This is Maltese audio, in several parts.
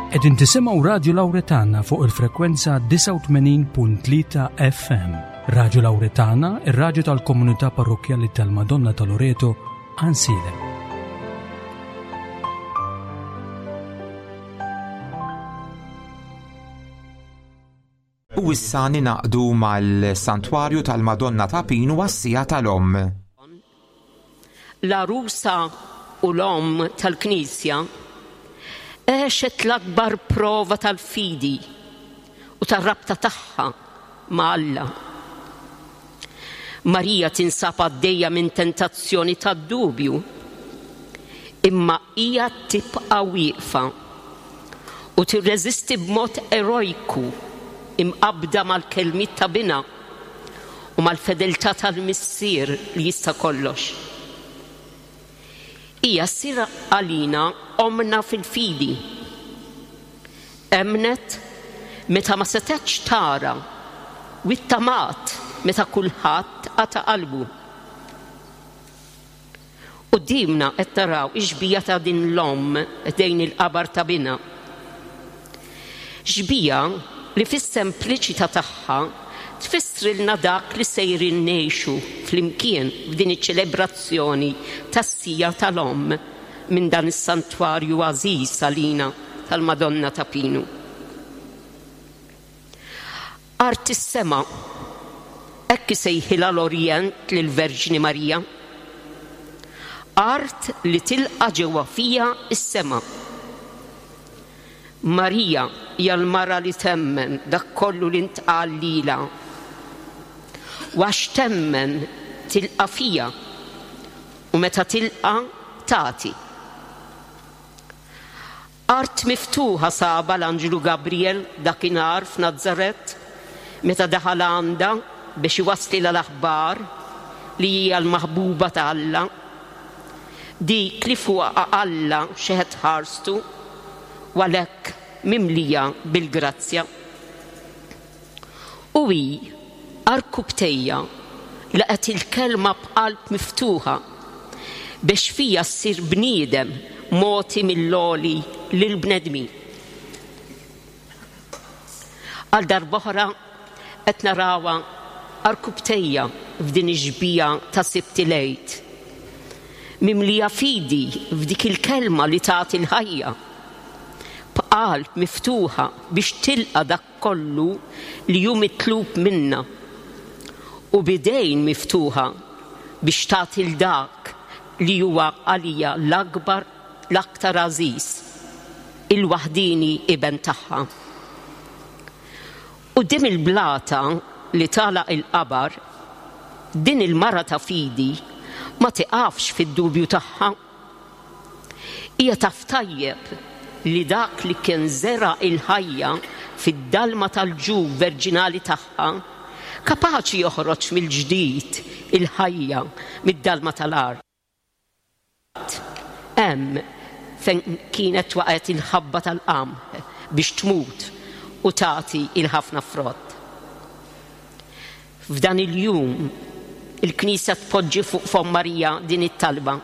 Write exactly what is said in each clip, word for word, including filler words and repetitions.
Qegħdin tisimgħu Radju Lawretana fuq il-frekwenza disgħa u tmenin punt tlieta F M. Radju Lawretana, ir-radju tal-Komunità Parrokkjali tal-Madonna ta' Loreto, Għajnsielem. U issa ningħaqdu mal-Santwarju tal-Madonna ta' Pinu għas-Siegħa tal-Omm. L-għarusa u l-omm tal-Knisja għexet l-akbar prova tal-fidi u tar-rabta tagħha ma' Alla. Marija tinsab għaddejja minn tentazzjoni tad-dubju, imma hija tibqa' wieqfa u tirreżisti b'mod erojku, imqabda mal-kelmiet ta' binha u mal-fedeltà tal-Missier li jista' kollox. Hija ssir għalina omna fil-fidi. Emnet meta ma setgħetx tara u ittamat meta kulħadd qata' qalbu. Quddiemna qed naraw ix-xbieha ta' din l-omm ħdejn il-qabar ta' binha. Xbieha li fis-sempliċità tagħha tfissrilna dak li sejrin ngħixu flimkien f'din iċ-ċelebrazzjoni tas-Siegħa tal-Omm minn dan is-santwarju għażiż għalina tal-Madonna ta' Pinu. Art is-sema, hekk isejħilha l-Orjent lill-Verġni Marija. Art li tilqa' ġewwa fiha is-sema. Marija hija l-mara li temmen dak kollu li ntqal lilha. U għax temmen tilqa' fiha u meta tilqa' tagħti. Art miftuħa sabha l-Anġlu Gabriel dakinhar f'Nazaret meta daħal għandha biex iwasslilha l-aħbar li hija l-maħbuba ta' Alla. Dik li fuqha Alla xeħet ħarstu u għalhekk mimlija bil-grazzja. U hi għarkupptejha laqgħet il-kelma b'qalb miftuħa biex fiha ssir bniedem mogħti mill-Għoli lill-bnedmin. Għal darb'oħra qed narawha għarkupptejha f'din ix-xbieha ta' Sibt il-Għid. Mimlija fidi f'dik il-kelma li tagħti l-ħajja. B'qalb miftuħa biex tilqa' dak kollu li hu mitlub minna. U b'idejn miftuħa biex tagħti 'l dak li huwa għalija l-akbar, l-aktar għażiż, il-waħdini iben tagħha. Quddiem il-blata li tagħlaq il-qabar, din il-mara ta' fidi ma tiqafx fid-dubju tagħha. Hija taf tajjeb li dak li kien żera' il-ħajja fid-dalma tal-ġuf verġinali tagħha kapaċi joħroġ mill-ġdid il-ħajja mid-dalma tal-art. Hemm fejn kienet waqgħet il-ħabba tal-qamħ biex tmut u tagħti il-ħafna frott. F'dan il-jum il-Knisja tpoġġi fuq fomm Marija din it-talba.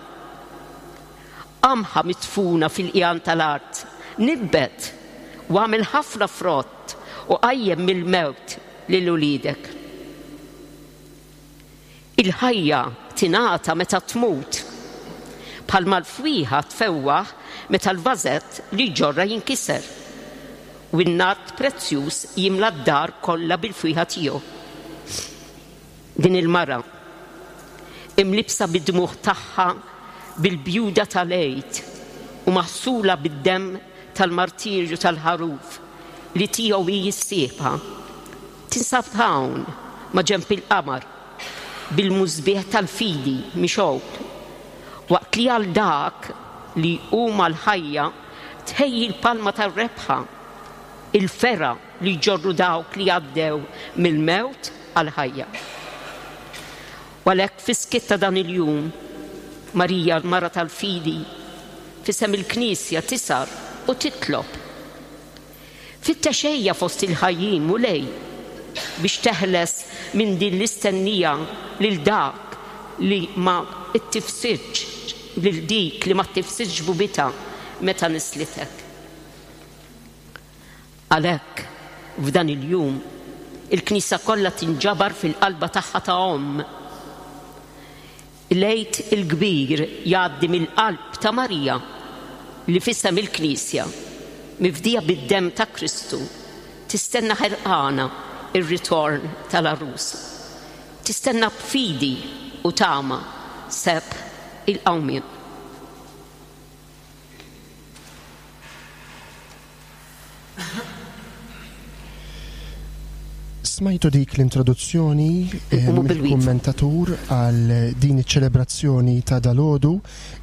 Qamħa midfuna fil-qigħan tal-art, nibbet u għamel ħafna frott u qajjem mill-mewt lil uliedek. Il-ħajja tingħata meta tmut, bħalma l-fwieħa tfewwaħ meta l-vażett li ġorra jinkiser u n-nard prezzjuż jimla d-dar kollha bil-fwieħa tiegħu. Din il-mara imlibsa bid-dmugħ tagħha bil-bjuda tal-Għid u maħsula bid-demm tal-martirju tal-ħaruf li tiegħu hi s-sieħba. Tinsab hawn ma' ġenb il-qabar bil-musbieħ tal-fidi mixgħul. Waqt li għal dak li huma l-ħajja tħejji l-palma tar-rebħa, il-fergħa li jġorru dawk li għaddew mill-mewt għal-ħajja. U għalhekk fis-skiet ta' dan il-jum, Marija l-mara tal-fidi, f'isem il-Knisja tisar u titlob. Fittex ejja fost il-ħajjin, Mulej, biex teħles minn din l-istennija lil dak li ma ttifsidx, lil dik li ma ttifsidx xbubitha meta nisslitek. Għalhekk, f'dan il-jum, il-Knisja kollha tinġabar fil-qalba tagħha ta' omm. Il-Għid il-Kbir jgħaddi mill-qalb ta' Marija li f'isem il-Knisja, mifdija bid-demm ta' Kristu, tistenna ħerqana ir-ritorn tal-għarus. Tistenna b'fidi u tama sebħ il-qawmien. Smajtu dik l-introduzzjoni eh, mill-kummentatur għal din iċ-ċelebrazzjoni ta' dalodu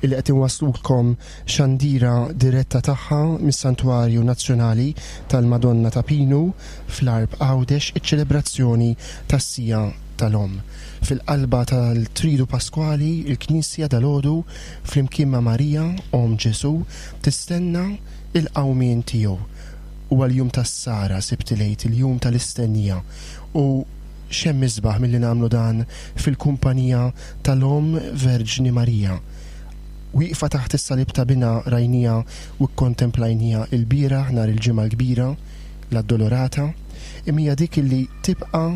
illi qed inwaslulkom xandira diretta tagħha mis-Santwarju Nazzjonali tal-Madonna ta' Pinu fl-Għarb Għawdex, iċ-ċelebrazzjoni tas-sija tal-Omm. Fil-qalba tal-Tridu Paskwali, il-Knisja dalodu flimkien ma' Marija, Omm Ġesu, tistenna il-qawmien tiegħu. Huwa l-jum tas-Sara, Sibt il-Għid, il-jum tal-istennija. U x'hemm isbaħ milli nagħmlu dan fil-kumpanija tal-Omm Verġni Marija. Wieqfa taħt is-salib ta' binha rajnija u kkontemplajnija l-bieraħ nhar il-Ġimgħa l-Kbira, l-Addolorata, imma hija dik illi tibqa'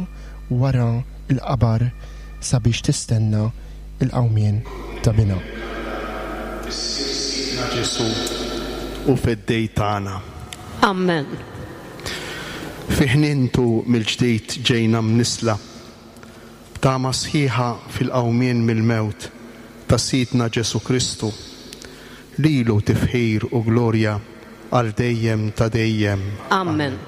wara l-qabar sabiex tistenna l-qawmien ta' binha. Missier Sidna Ġesù u Feddej tagħna. Amen. Fi ħnientu mill-ġdid ġejna mnisla, b'tama sħiħa fil-qawmien mill-mewt ta' Sidna Ġesù Kristu. Lilu tifħir u glorja għal dejjem ta' dejjem. Amen.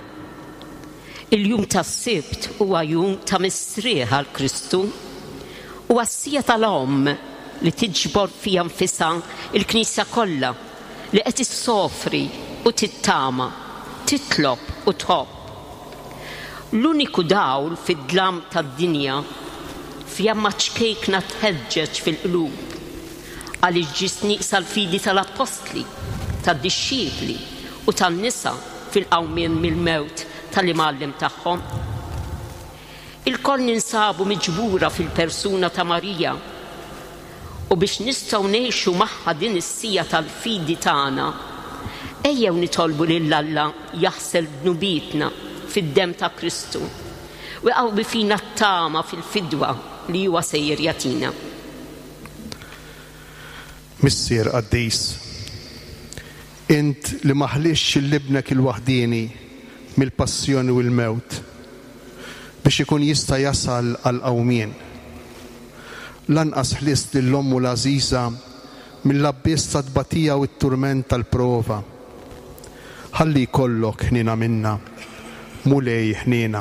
Il-jum tas-Sibt huwa jum ta' mistrieħ għal Kristu u għas-sija tal-Omm li tiġbor fiha nfisha il-Knisja kollha li qed issofri u tittama, titlob u tħobb. L-uniku dawl fid-dlam tad-dinja fjamma ċkejkna tħeġġeġ fil-qlub għaliex ġiet nieqsa l-fidi tal-appostli, tad-dixxipli u tan-nisa fil-qawmien mill-mewt tal-imgħallem tagħhom. Il-koll ninsabu miġbura fil-persuna ta' Marija u biex nistgħu ngħixu magħha din is-sija tal-fidi tagħna, ejjew nitolbu lil Alla jaħsel dnubietna fid-demm ta' Kristu u jqawwi fina t-tama fil-fidwa li huwa sejjer jagħtina. Missier qaddis, int li ma ħlistx lil ibnek il-waħdieni mill-passjoni u l-mewt biex ikun jista' jasal għal qawmien. Lanqas ħlist lil ommu l-għażiża mill-abbiss tat-tbatija u t-turment tal-prova. Ħalli jkollok ħniena minna, Mulej ħniena.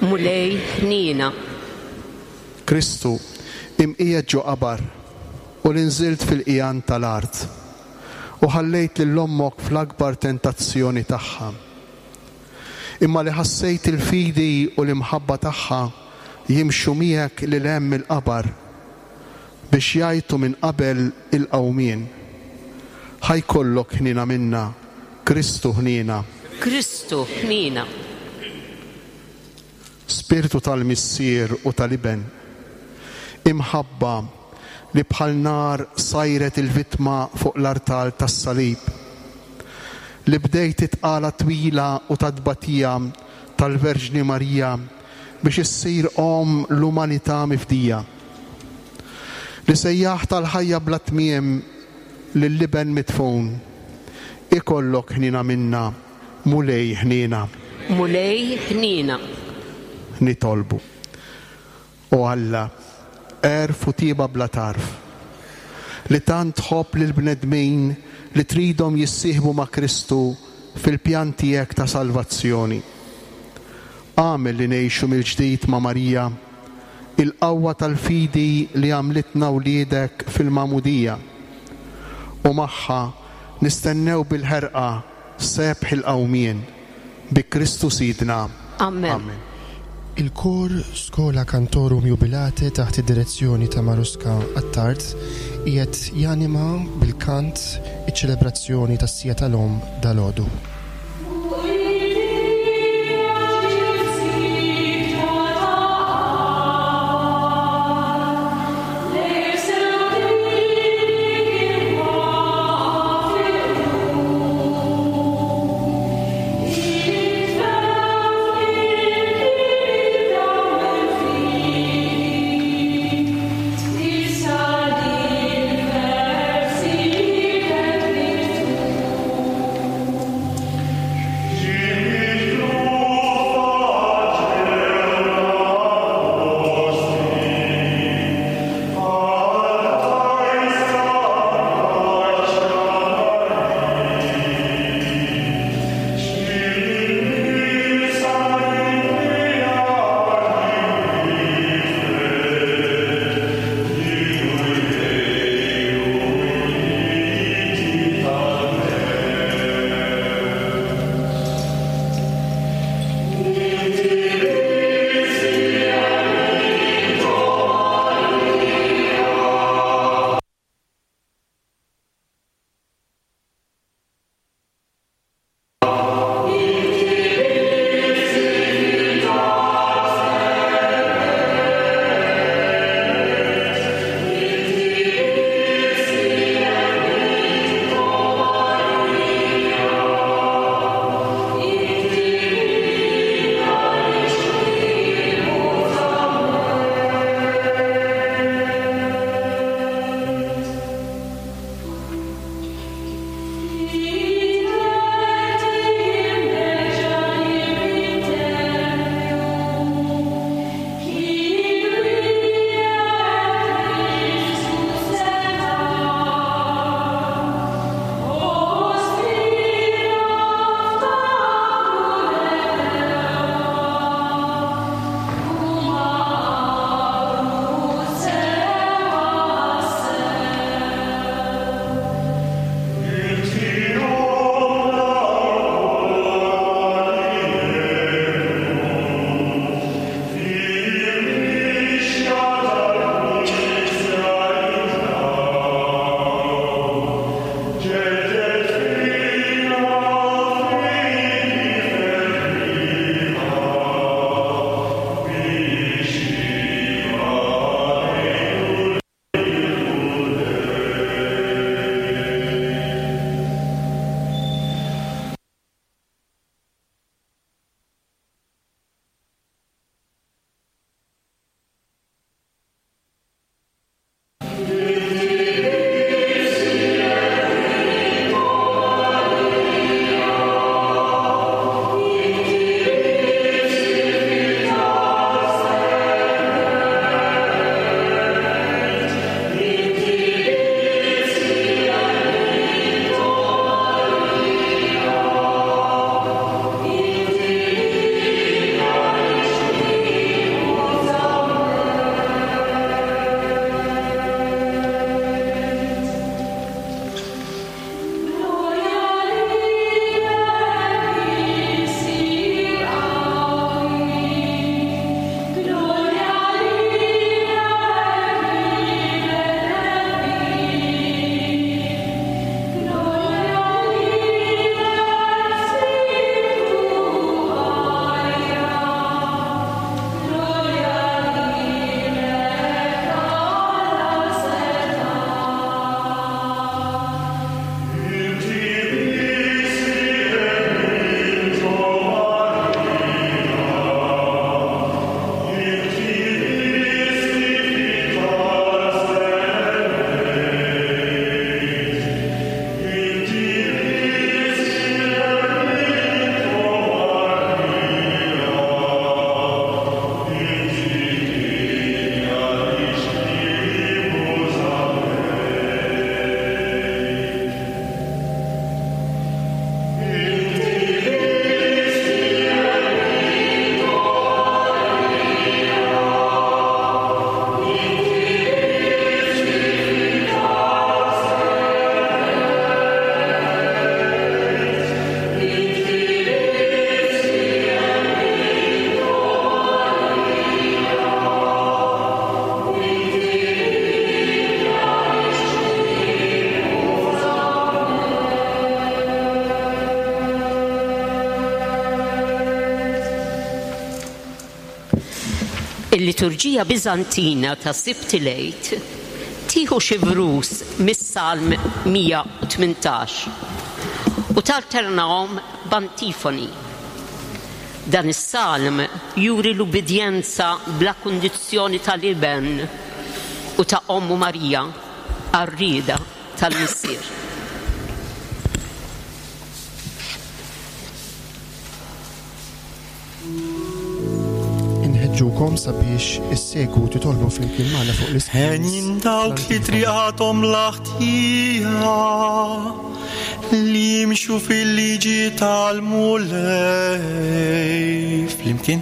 Mulej ħniena. Kristu, imqiegħed ġo qabar u li nżilt fil-qjan tal-art u ħallejt lil ommok fl-akbar tentazzjoni tagħha. Imma li ħassejt il-fidi u l-imħabba tagħha jimxu miegħek lil hemm il-qabar biex jgħajtu minn qabel il-qawmien. Ħa jkollok ħniena minna, Kristu ħniena. Kristu ħniena. Spiritu tal-Missier u tal-Iben, imħabba li bħal nar sajret il-vittma fuq l-artal tas-salib, li bdejt it-tqala twila u tat-tbatija tal-Verġni Marija biex issir omm l-umanità mifdija, li sejjaħ tal-ħajja bla tmiem lill-Iben midfun, ikollok ħniena minna, Mulej ħniena. Mulej ħniena. Nitolbu. O Alla, għerf u tieba bla tarf, li tant tħobb lill-bnedmin li tridhom jissieħbu ma' Kristu fil-pjan tiegħek ta' salvazzjoni. Agħmel li ngħixu mill-ġdid ma' Marija il-qawwa tal-fidi li għamlitna wliedek fil-magħmudija, u magħha nistennew bil-ħerqa sebħ il-qawmien bi Kristu Sidna. Amen. Amen. Il-kor Schola Cantorum Jubilate taħt id-direzzjoni ta' Maruska Attard qiegħed janima bil-kant iċ-ċelebrazzjoni tas-sija tal-Omm dalodu. Thank you. Il-liturġija Biżantina ta' Sibt il-Għid tieħu xi vrus mis-Salm mija u tmintax u talternahom b'antifoni. Dan is-salm juri l-ubbidjenza bla kundizzjoni tal-Iben u ta' Ommu Marija għar-rieda tal-Missier. Inħeġġukom sabiex issegwu titolbu flimkien magħna fuq l-iskrin. Henjin dawk li triqathom l-ħtija li jimxu fil-liġi tal-Mulej. Flimkien.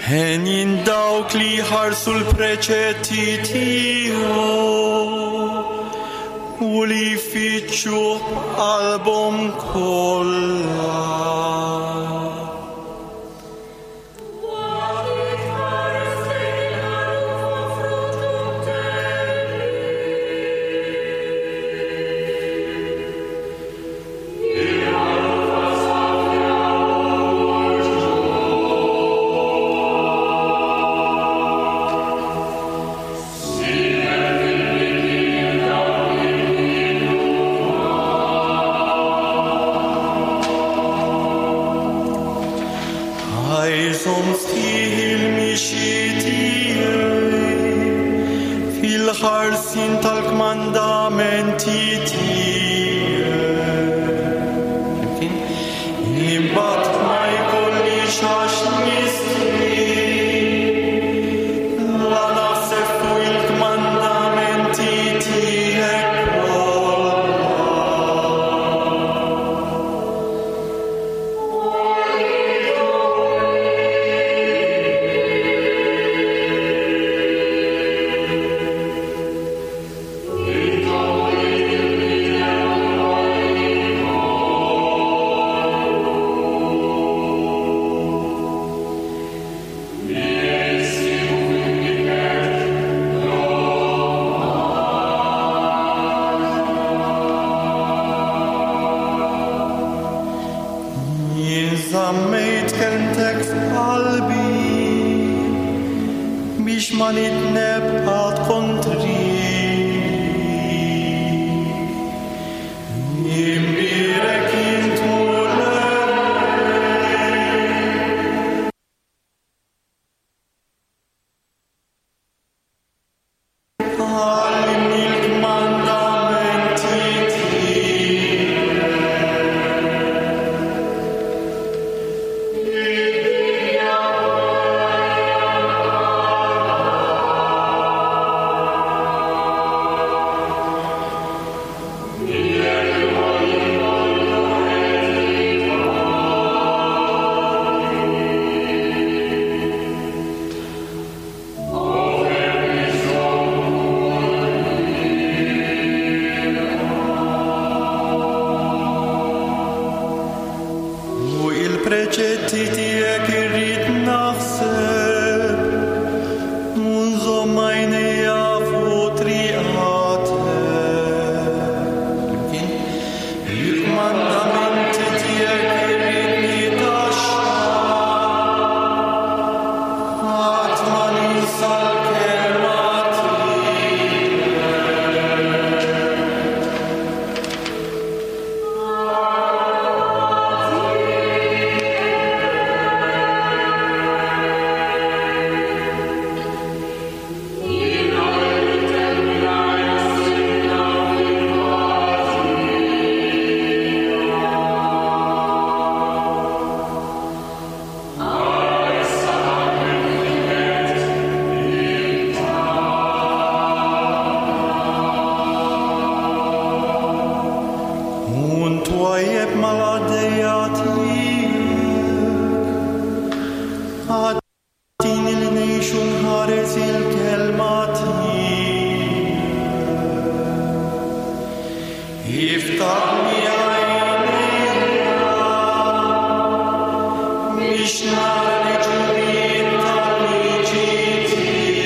Henjin dawk li jħarsu l-preċetti tiegħu u li jfittxu b'qalbhom kollha. Fil-ħarsin tal-kmandamenti tiegħek. Żammejt kelmtek f'qalbi biex ma nidneb qatt kontrik. Imbierek int Mulej. Għallimni l-kmandamenti tiegħek. U il-preċetti tiegħek irrid naħseb u nżomm għajnejja fuq triqatek. Il-kmandamenti tiegħek irrid nitaxxa, qatt ma ninsa l-kelma tiegħek. Un twajjeb mal-għaddejja tiegħek, għaddini li ngħix u nħares il-kelma tiegħek. Iftaħli għajnejja biex nara l-ġubijiet tal-liġi tiegħek.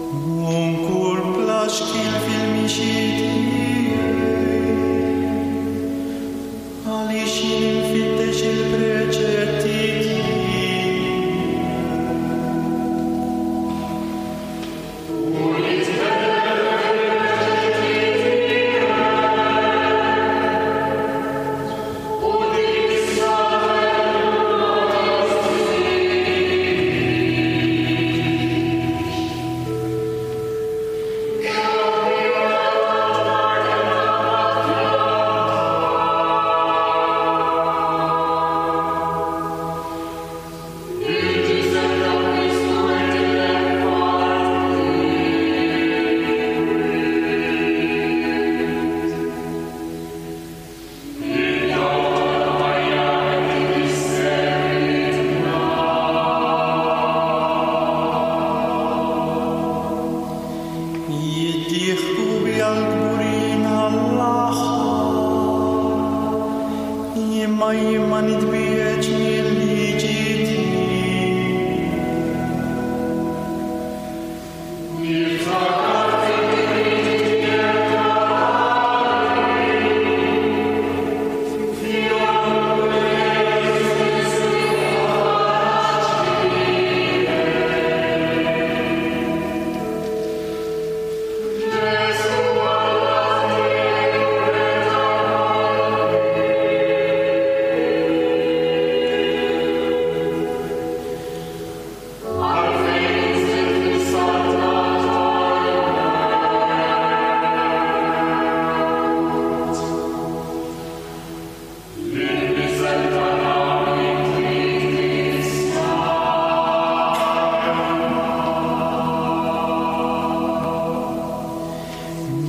U nkun bla xkiel fil-mixi tiegħi, għaliex jien infittex il-preċetti tiegħek. Jiddieħku bija l-kburin għall-aħħar, imma jien ma nitbiegħedx mil-liġi tiegħek.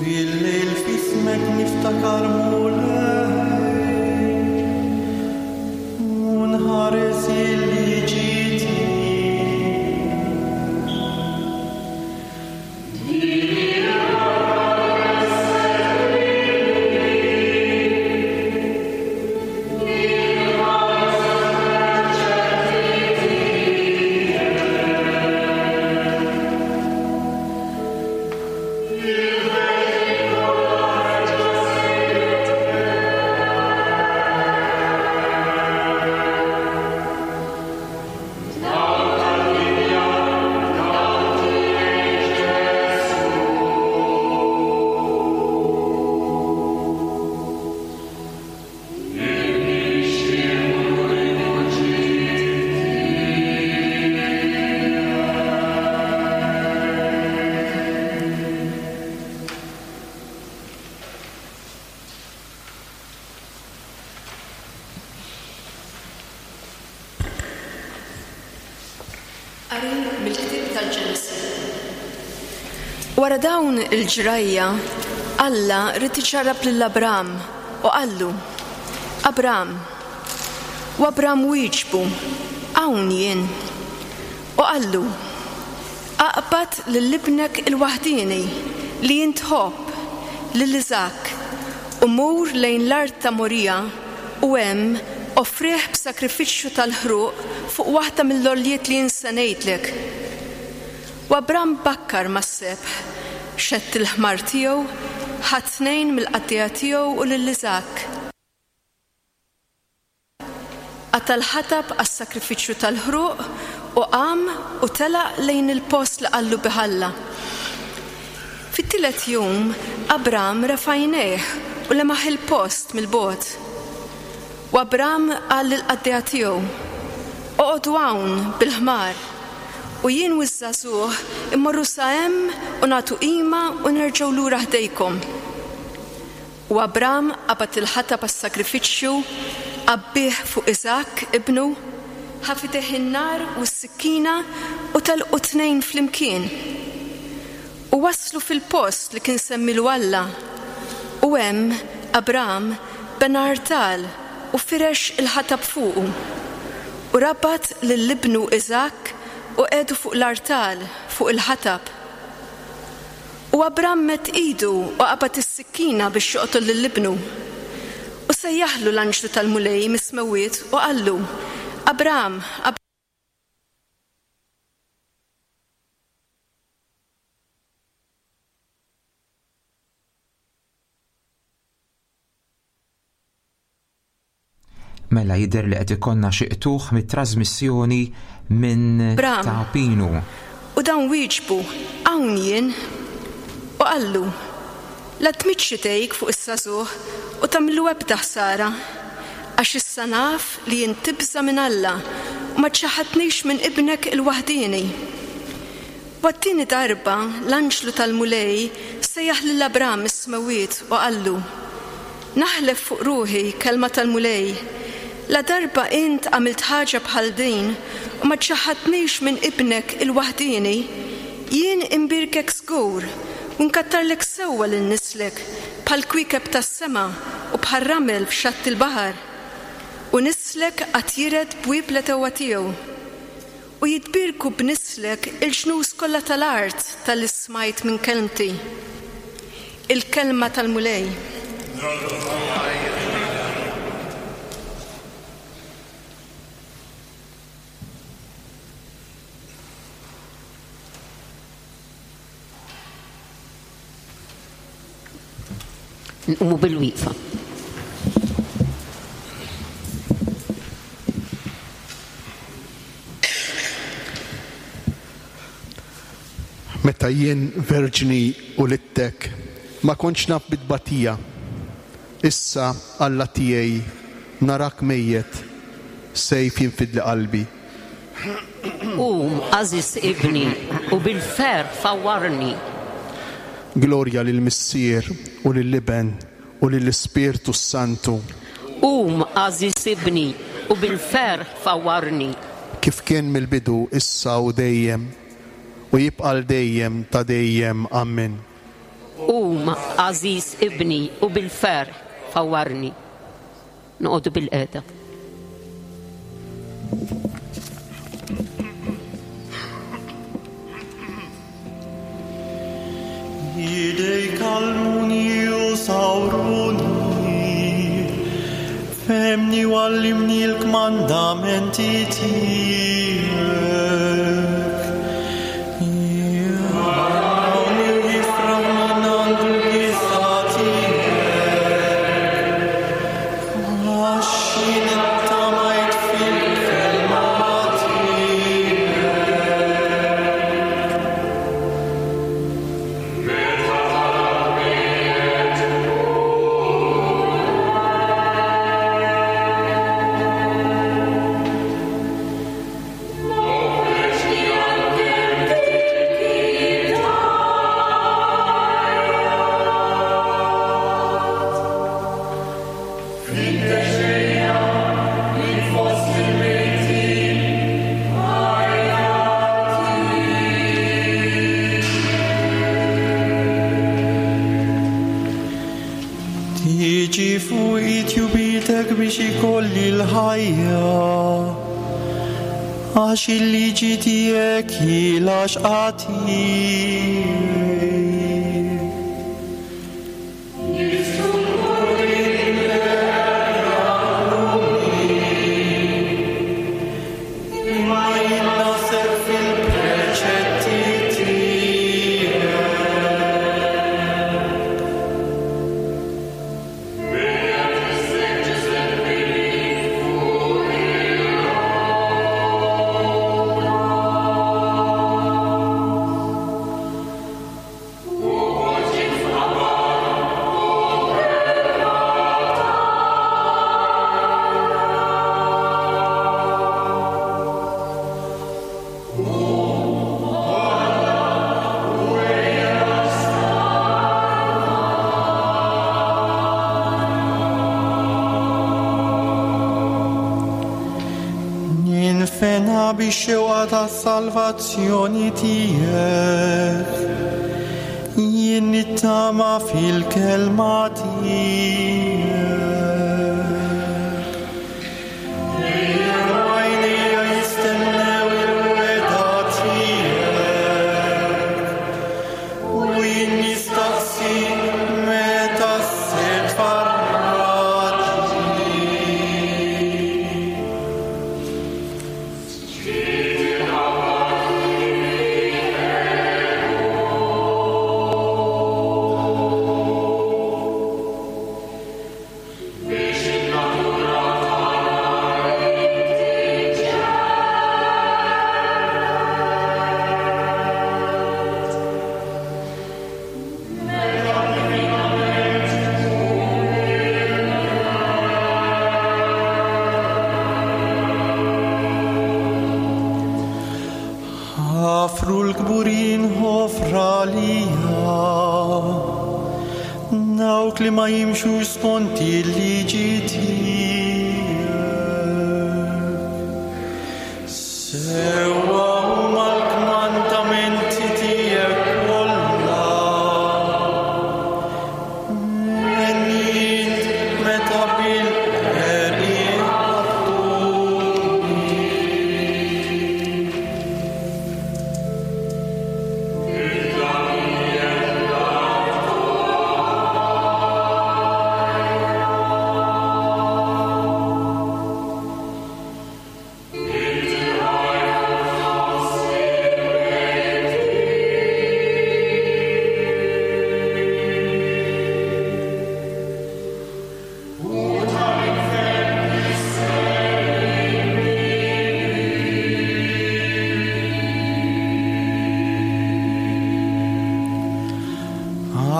Bil-lejl f'ismek niftakar Mulej, u nħares il-liġi tiegħek. Qari mill-ktieb tal-Ġenesi. Wara dawn il-ġrajja, Alla ried iġarrab lil Abram u qallu: Abram. U Abram wieġbu: Hawn jien. U qallu: Aqbad lil ibnek il-waħdieni li int tħobb, lil Iżak, u mur lejn l-art ta' Morija u hemm offrih b'sakrifiċċju tal-ħruq fuq waħda mill-għoljiet li jien se ngħidlek. U Abram bakkar mas-sebħ, xedd il-ħmar tiegħu, ħa tnejn mill-qaddejja tiegħu u lil Iżak. Qata' l-ħatab għas-sakrifiċċju tal-ħruq u qam u telaq lejn il-post li qallu bih Alla. Fit-tielet jum Abram refa' għajnejh u lemaħ il-post mill-bogħod. U Abram qal lill-qaddejja tiegħu: Oqogħdu hawn bil-ħmar, u jien u ż-żagħżugħ immorru sa hemm u nagħtu qima u nerġgħu lura ħdejkom. U Abram qabad il-ħatab għas-sakrifiċċju, għabbih fuq Iżak ibnu, ħa f'idejh in-nar u s-sikkina u telqu tnejn flimkien. U waslu fil-post li kien semmilu Alla. U hemm Abram bena artal u firex il-ħatab fuqu. U rabat lil ibnu Iżak u qiegħdu fuq l-artal fuq il-ħatab. U Abram medd idu u qabad is-sikkina biex joqtol lil ibnu. U sejjaħlu l-anġlu tal-Mulej mis-smewwiet u qallu: Abram, Mela jidher li qed ikollna xi qtugħ mit-trasmissjoni minn Bram. Ta' Pinu. U dawn wieġbu, hawn jien. U qallu, la tmiddx idejk fuq is-żagħżugħ u tagħmillu ebda ħsara, għax issa naf li int tibża' minn Alla u ma ċaħadtnix minn ibnek il-waħdieni. Għat-tieni darba l-anġlu tal-Mulej sejjaħ lil Abram is-smewwiet u qallu, naħlef fuq ruħi kelma tal-Mulej, la darba int għamilt ħaġa bħal din u ma ċaħadtnix minn ibnek il-waħdieni, jien imbirkek żgur u nkattarlek sewwa lil nislek bħal kwiekeb tas-sema u bħal ramel f'xatt il-baħar. U nislek għad jiret bwieb l-għedewwa tiegħu. U jitbierku b'nislek il-ġnus kollha tal-art talli smajt minn kelmti. Il-kelma tal-Mulej. Nqumu bil-wieqfa. Meta jien verġni u littek, ma kontx naf bit-tbatija. Issa Alla tiegħi narak mejjet, sejf jinfidli qalbi. Qum, għażiż ibni, u bil-ferħ fawwarni. Glorja lill-Missier u lill-Iben u lill-Ispirtu Santu. Qum, għażiż ibni, u bil-ferħ fawwarni. Kif kien mill-bidu, issa u dejjem, u jibqa' l dejjem ta' dejjem. Amen. Qum, għażiż ibni, u bil-ferħ fawwarni. Noqogħdu bil-qiegħda. Idejk għallmuni u sawruni, fehmni u għallimni l-kmandamenti tiegħek. Jgħallmuni u jifraħ min għandu l-biża' tiegħek, għax jien ittamajt fil-kelma tiegħek. Tiġi fuq tjubitek biex ikolli l-ħajja, għax il-liġi tiegħek hi l-għaxqa tiegħi. Imma jien naħseb fil-preċetti tiegħek. Ninfena bix-xewqa tas-salvazzjoni tiegħek, jien nittama fil-kelma tiegħek. Għajnejja jistennew il-wegħda tiegħek, u jien nistaqsi meta se tfarraġni. Biex in-natura tagħna tbatija, dawk li ma jimxux skont il-liġi tiegħek. Sewwa huma l-kmandamenti tiegħek kollha, Għenni meta bil-qerq ħabtuni.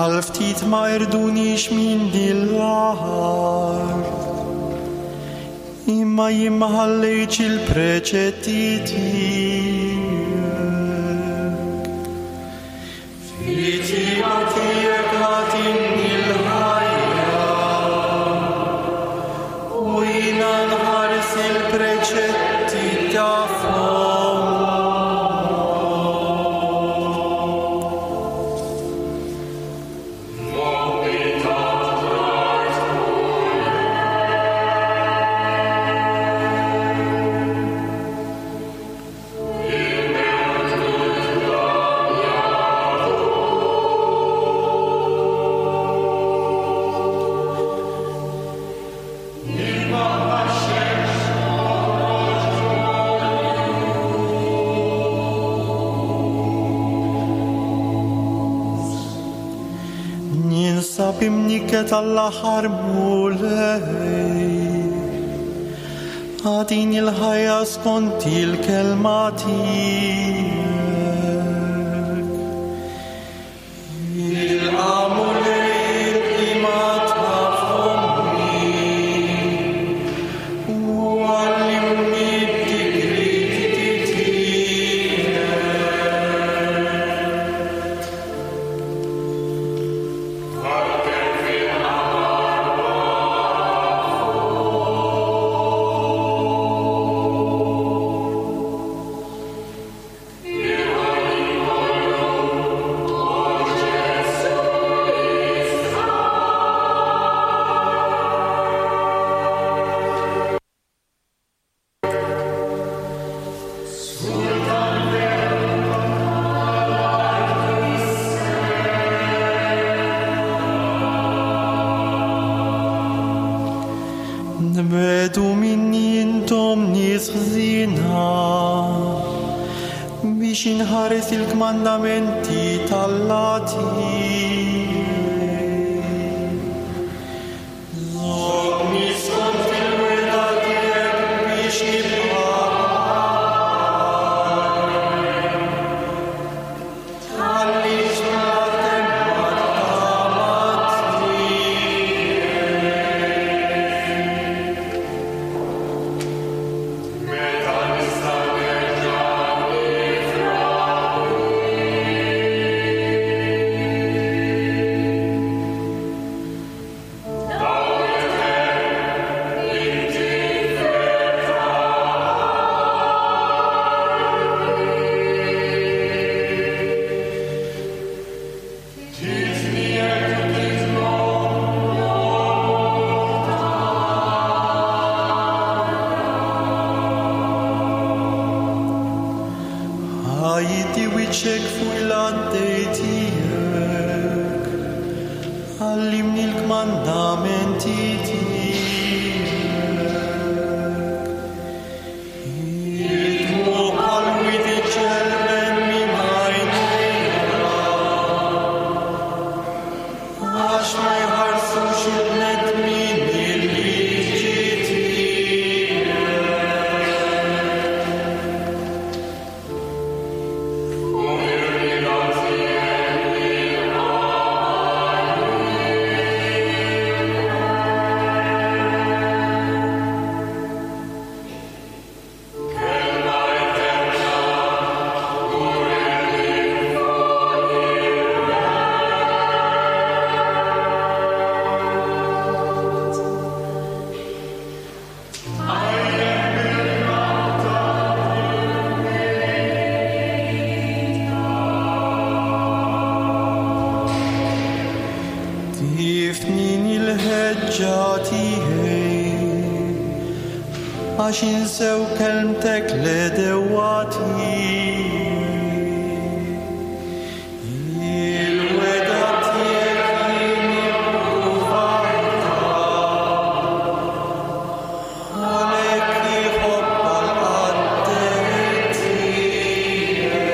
Għal ftit ma irdunix minn din l-art, imma jien ma ħallejtx il-preċetti tiegħek. Fit-tjieba tiegħek agħtini l-ħajja, u jiena nħares il-preċetti ta' fommok. Ninsab imnikket għall-aħħar Mulej, agħtini l-ħajja skont il-kelma tiegħek. Ilqa' Mulej il-qima ta' fommi, u għallimni d-digrieti tiegħek. Nbedu minni intom nies ħżiena, biex inħares il-kmandamenti t'Alla tiegħek. Żommni skont il-wegħda tiegħek biex nibqa' ħaj. Tħallix bla temma t-tama tiegħek. Ħajti wiċċek fuq il-għaddej tiegħek, għallimni l-kmandamenti tiegħek. Id-dmugħ bħal wied iġġelben minn għajnejja, għax ma jħarsux il-bnedmin il-liġi tiegħek. il-ħeġġa tiegħi, għax insew kelmtek l-għedewwa tiegħi. Il-wegħda tiegħek jien ippruvajtha, għalhekk iħobbha l-qaddej tiegħek.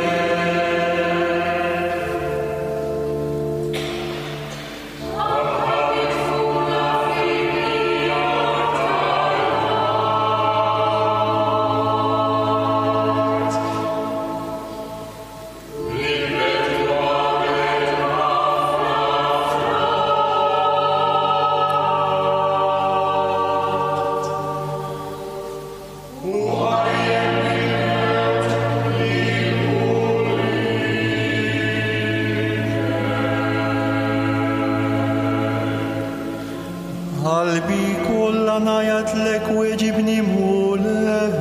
Qalbi kollha ngħajjatlek weġibni Mulej.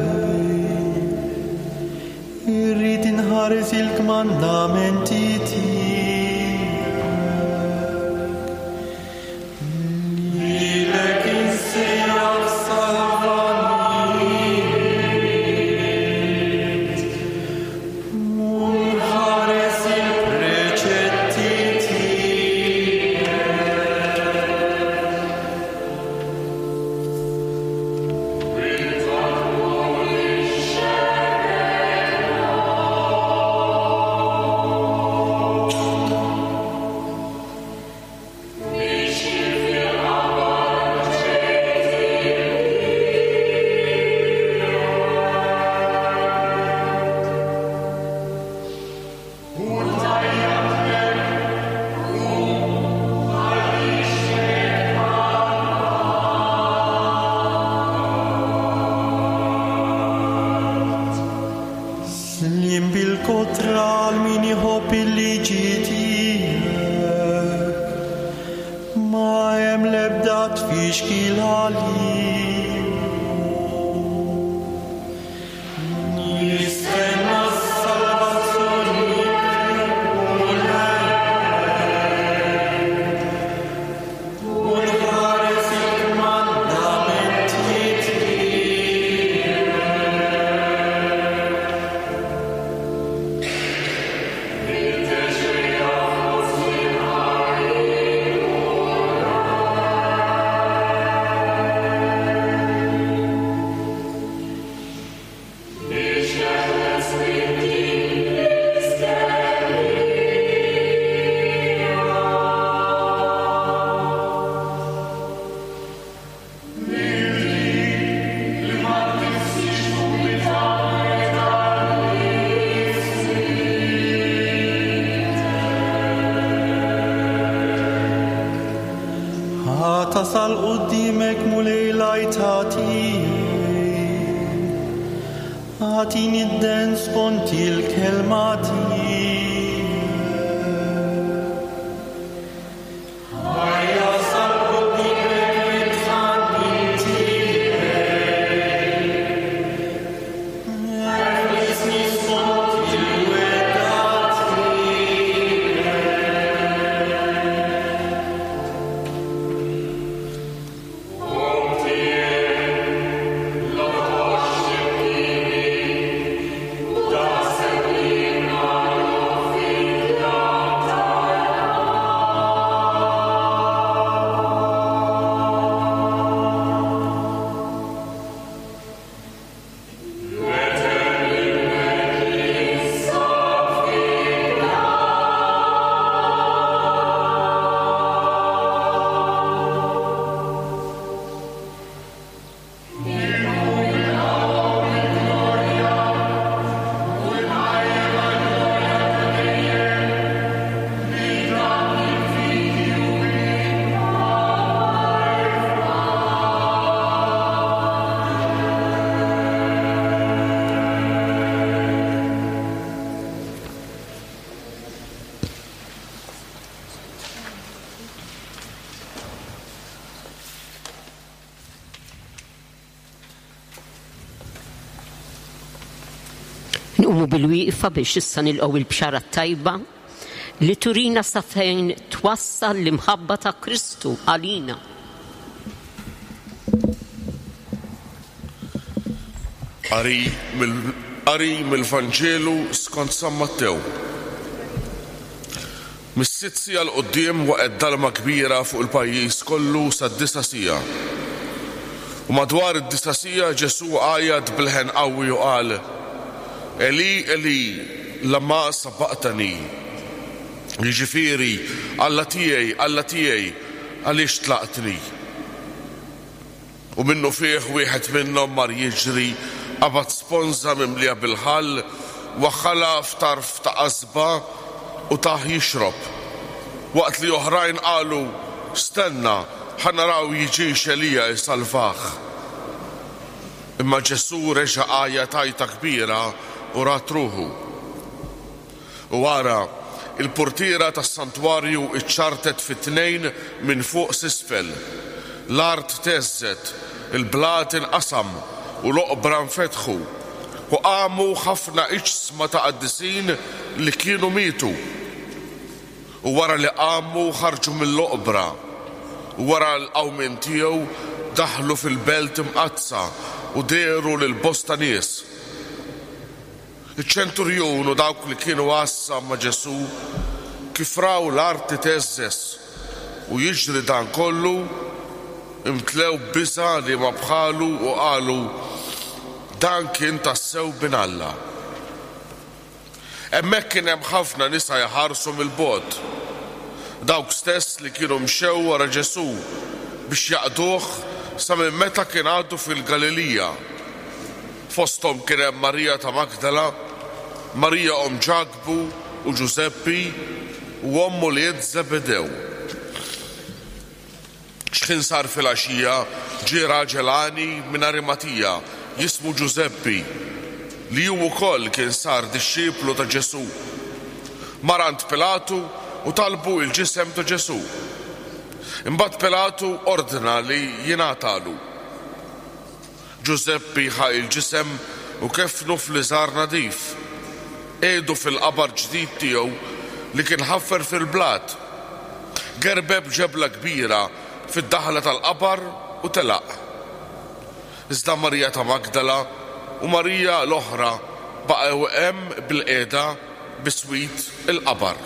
Irrid inħares il-kmandamenti tiegħek. Lilek insejjaħ salvani. U nħares il-preċetti tiegħek. Slim bil-kotra għal min iħobb il-liġi tiegħek. Ma hemm l-ebda tfixkil għalihom. Nistenna s-salvazzjoni Mulej. U nħares il-kmandamenti tiegħek. Tasal qudiemek Mulej l-għajta tiegħi. Agħtini d-den skont il-kelma tiegħek. Ħajja sal qudiemek it-tħannin tiegħek. Eħlisni skont il-wegħda tiegħek. Nqumu bil-wieqfa biex issa nilqgħu il-bxara tajba li turina sa fejn twassal l-imħabba ta' Kristu għalina. Qari mill-Qari mill-Vanġelu skont San Mattew. Mis-sitt siegħa 'l quddiem waqgħet dalma kbira fuq il-pajjiż kollu sad-disa' siegħa. U madwar id-disa' siegħa Ġesù għajat b'leħen qawwi u qal: Eli, Eli, lama sabaqtani. Jiġifieri, Alla tiegħi, Alla tiegħi, għaliex tlaqtni? U minnufih wieħed minnhom mar jiġri, qabad sponża mimlija bil-ħall, waħħalha f'tarf ta' qasba u tah jixrob. Waqt li oħrajn qalu: Stenna, ħa naraw jiġix Elija jsalvah. Imma Ġesù reġa' għajat għajta kbira u rat ruħu. U ara, il-portiera tas-santwarju iċċartet fi tnejn minn fuq s'isfel. L-art theżżet, il-blat inqasam u l-oqbra nfetħu, u qamu ħafna iġsma ta' qaddisin li kienu mietu. U wara li qamu ħarġu mill-oqbra, u wara l-qawmien tiegħu daħlu fil-belt imqaddsa u dehru lil bosta nies. Iċ-ċenturjun u dawk li kienu għassa ma' Ġesù kif raw l-art titheżżeż u jiġri dan kollu, imtlew biża' li ma bħalu u qalu: Dan kien tassew bin Alla. Hemmhekk kien hemm ħafna nisa jħarsu mill-bogħod, dawk stess li kienu mxew wara Ġesù biex jaqduh sa minn meta kien għadu fil-Galilija. Fosthom kien hemm Marija ta' Magdala, Marija omm Ġakbu u Ġużeppi u omm ulied Zebedew. X'ħin sar filgħaxija ġie raġel għani minn Arimatija jismu Ġużeppi, li hu wkoll kien sar dixxiplu ta' Ġesù. Mar għand Pilatu u talbu il-ġisem ta' Ġesù. Imbagħad Pilatu ordna li jingħatalu. Ġużeppi ħa il-ġisem u kefnu f'liżar nadif. Qiegħdu fil-qabar ġdid tiegħu li kien ħaffer fil-blat. Gerbeb ġebla kbira fid-daħla tal-qabar u telaq. Iżda Marija ta' Magdala u Marija l-oħra baqgħu hemm bilqiegħda biswit il-qabar.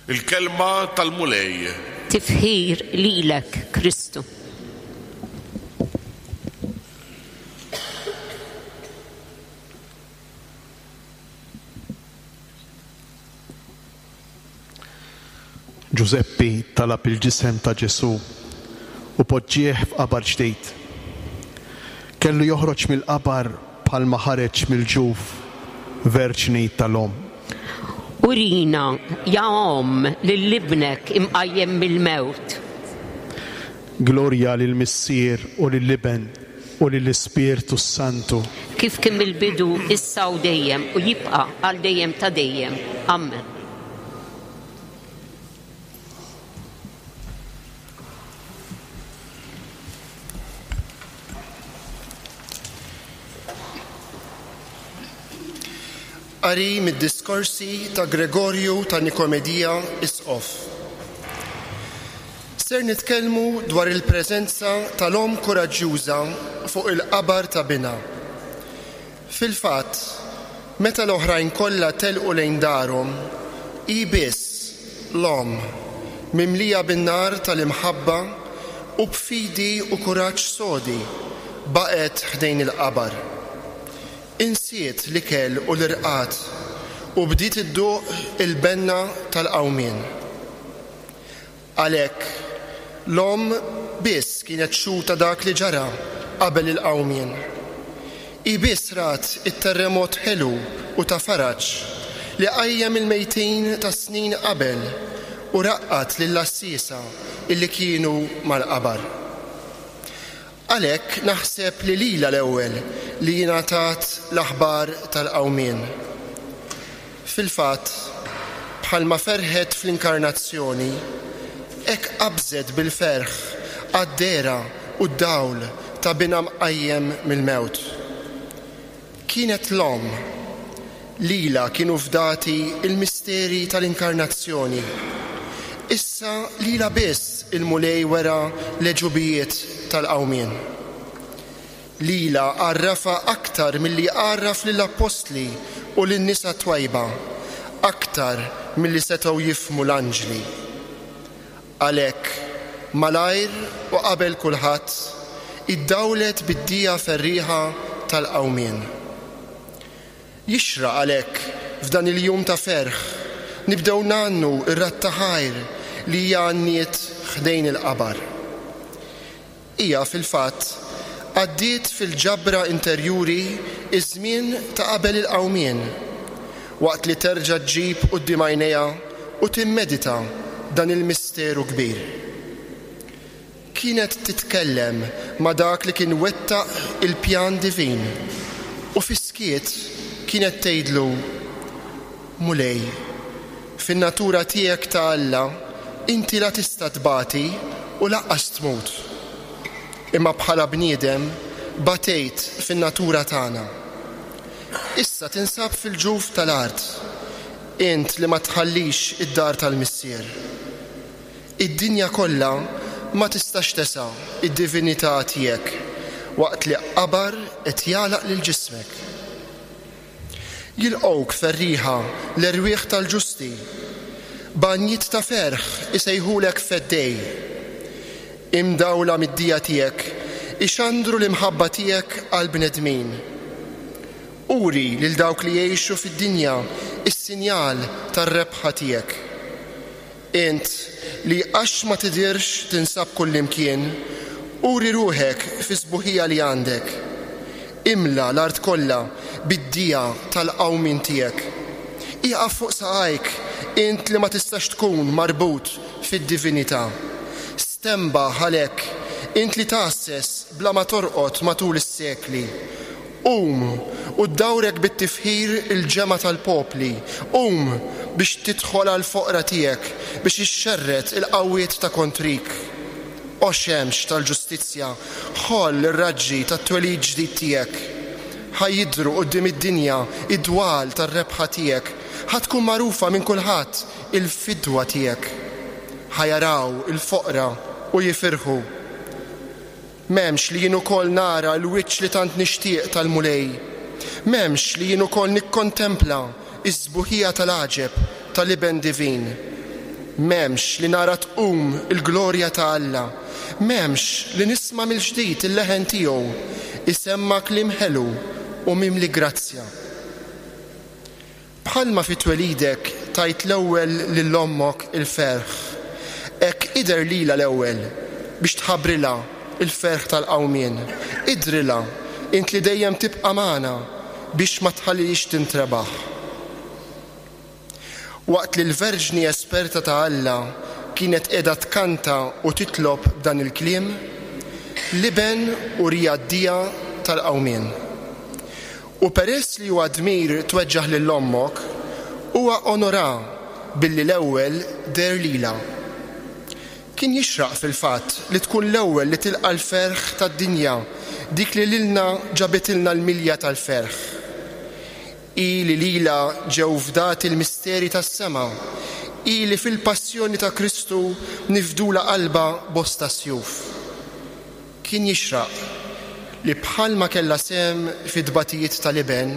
Il-kelma tal-Mulej. Tifħir lilek, Kristu. Ġużeppi talab il-ġisem ta' Ġesù u poġġieh f'qabar ġdid. Kellu joħroġ mill-qabar bħalma ħareġ mill-ġuf verġni tal-omm. Urina, ja omm, lil ibnek imqajjem mill-mewt. Glorja lill-Missier u lill-Iben u lill-Ispirtu Santu. Kif kien mill-bidu, issa u dejjem, u jibqa' għal dejjem ta' dejjem. Amen. Qari mid-diskorsi ta' Gregorju ta' Nikomedija Isqof. Ser nitkellmu dwar il-preżenza tal-omm kuraġġjuża fuq il-qabar ta' binha. Fil-fatt, meta l-oħrajn kollha telqu lejn darhom, hi biss l-omm, mimlija bin-nar tal-imħabba u b'fidi u kuraġġ sodi, baqgħet ħdejn il-qabar. Insiet l-ikel u l-irqad u bdiet idduq il-benna tal-qawmien. Għalhekk, l-omm biss kienet xuta dak li ġara qabel il-qawmien. Hi biss rat it-terremot ħelu u ta' faraġ li qajjem il-mejtin ta' snin qabel u raqqat lill-għassiesa illi kienu mal-qabar. Għalhekk naħseb li lilha l-ewwel li jingħatat l-aħbar tal-qawmien. Fil-fatt, bħalma ferħet fl-inkarnazzjoni, hekk qabżet bil-ferħ għad-dehra u d-dawl ta' binha mqajjem mill-mewt. Kienet l-omm, lilha kienu fdati il-misteri tal-inkarnazzjoni. Issa lilha biss il-Mulej wera l-għeġubijiet tal-qawmien. Lila għarrafa aktar milli għarraf lill-appostli u lin-nisa twajba, aktar milli setgħu jifhmu l-anġli. Għalhekk, malajr u qabel kulħadd, iddawlet bid-dija ferrieħa tal-qawmien. Jixraq għalhekk f'dan il-jum ta' ferħ nibdew ngħannu r-radd ta' ħajr li hija għanniet ħdejn il-qabar. Hija fil-fatt għaddiet fil-ġabra interjuri iż-żmien ta' qabel il-qawmien, waqt li terġa' ġġib quddiem għajnejha u timmedita dan il-misteru kbir. Kienet titkellem ma' dak li kien wettaq il-pjan divin u fis-skiet kienet tgħidlu: Mulej, fin-natura tiegħek ta' Alla inti la tista' tbati u lanqas tmut. Imma bħala bniedem batejt fin-natura tagħna. Issa tinsab fil-ġuf tal-art, int li ma tħallix id-dar tal-Missier. Id-dinja kollha ma tistax tesa' id-divinità tiegħek waqt li qabar qed jagħlaq lil ġismek. Jilqgħuk ferrieħa l-erwieħ tal-ġusti, b'għanjiet ta' ferħ isejħulek feddej. Imdawla mid-dija tiegħek ixandru l-imħabba tiegħek għall-bnedmin. Uri lil dawk li jgħixu fid-dinja is-sinjal tar-rebħa tiegħek. Int li għax ma tidirx tinsab kullimkien, uri ruħek fi sbuħija li għandek. Imla l-art kollha bid-dija tal-qawmien tiegħek. Ieqaf fuq saqajk, int li ma tistax tkun marbut fid-divinità. Stenbaħ għalhekk, int li tgħasses bla ma torqod matul is-sekli. Qum u ddawrek bit-tifħir il-ġemgħa tal-popli. Qum biex tidħol għall-foqra tiegħek, biex ixxerred il-qawwiet ta' kontrik. O xemx tal-ġustizzja, ħoll ir-raġġi tat-twelid ġdid tiegħek. Ħa jidhru quddiem id-dinja id-dwal tar-rebħa tiegħek. Ħa tkun magħrufa minn kulħadd il-fidwa tiegħek. Ħa jaraw il-foqra u jifirħu. M'hemmx li jien ukoll nara l-wiċċ li tant nixtieq tal-Mulej. M'hemmx li jien ukoll nikkontempla is-sbuħija tal-għaġeb tal-Iben Divin. M'hemmx li nara tqum il-glorja ta' Alla. M'hemmx li nisma' mill-ġdid il-leħen tiegħu isemma kliem ħelu u mimli grazzja. Bħalma fi twelidek tajt l-ewwel lil ommok il-ferħ, hekk idher lilha l-ewwel biex tħabbrilha il-ferħ tal-qawmien. Idrilha int li dejjem tibqa' magħna biex ma tħallix tintrebaħ. Waqt li l-Verġni esperta ta' Alla kienet qiegħda tkanta u titlob dan il-kliem, l-Iben urija d-dija tal-qawmien. U peress li huwa dmir tweġġaħ lil ommok, huwa onora billi l-ewwel deher lilha. Kien jixraq fil-fatt li tkun l-ewwel li tilqa' l-ferħ tad-dinja, dik li lilna ġabitilna l-milja tal-ferħ. Hi li lilha ġew fdati l-misteri tas-sema, hi li fil-passjoni ta' Kristu nifdula qalba bosta sjuf. Kien jixraq li bħalma kellha sehem fit-tbatijiet tal-Iben,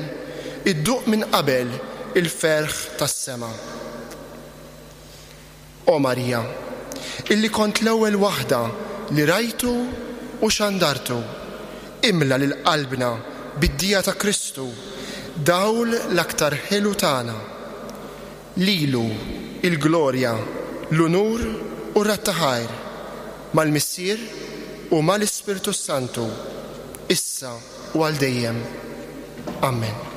idduq minn qabel il-ferħ tas-sema. O Marija, illi kont l-ewwel waħda li rajtu u xandartu, imla lil qalbna bid-dija ta' Kristu, dawl l-aktar ħelu tagħna. Lilu il-glorja, l-unur u r-radd ta' ħajr, mal-Missier u mal-Ispirtu Santu, issa u għal dejjem. Amen.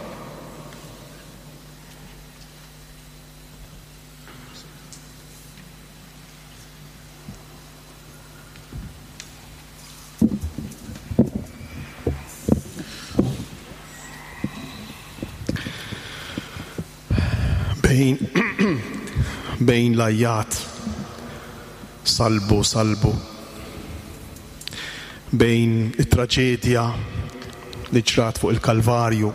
Bejn bejn l-ajjat salbu salbu, bejn it-traġedja li ġrat fuq il-Kalvarju,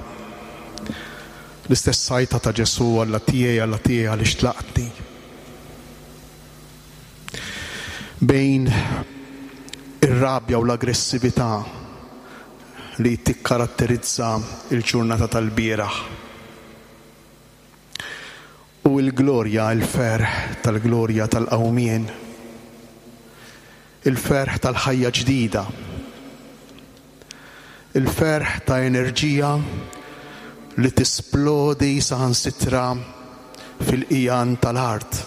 l-istess sajta ta' Ġesù, Alla tiegħi, Alla tiegħi għaliex tlaqtni, bejn ir-rabja u l-aggressività li tikkaratterizza l-ġurnata tal-bieraħ. U l-glorja, il-ferħ tal-glorja tal-qawmien, il-ferħ tal-ħajja ġdida, il-ferħ ta' enerġija li tisplodi saħansitra fil-qiegħan tal-art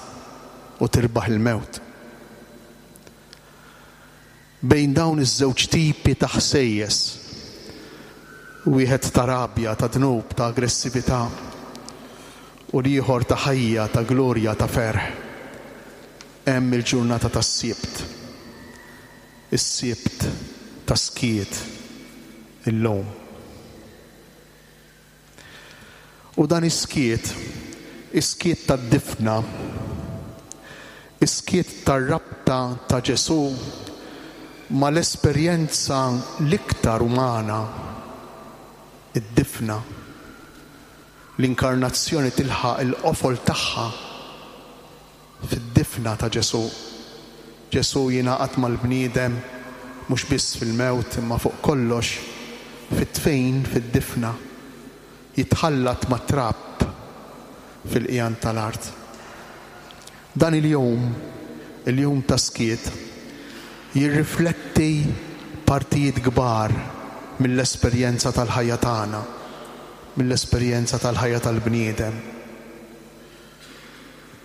u tirbaħ il-mewt. Bejn dawn iż-żewġ tipi ta' ħsejjes, wieħed ta' rabja, ta' dnub, ta' aggressività, u l-ieħor ta' ħajja, ta' glorja, ta' ferħ, hemm il-ġurnata tas-Sibt. Is-Sibt ta' skiet illum. U dan is-skiet, is-skiet tad-difna, is-skiet tar-rabta ta' Ġesù mal-esperjenza l-iktar umana, id-difna. L-inkarnazzjoni tilħaq il-qofol tagħha fid-difna ta' Ġesù. Ġesù jingħaqad mal-bniedem mhux biss fil-mewt imma fuq kollox fit-tfejn fid-difna, jitħallat mat-trab fil-qiegħan tal-art. Dan il-jum, il-jum ta' skiet, jirrifletti partijiet kbar mill-esperjenza tal-ħajja tagħna, mill-esperjenza tal-ħajja tal-bniedem.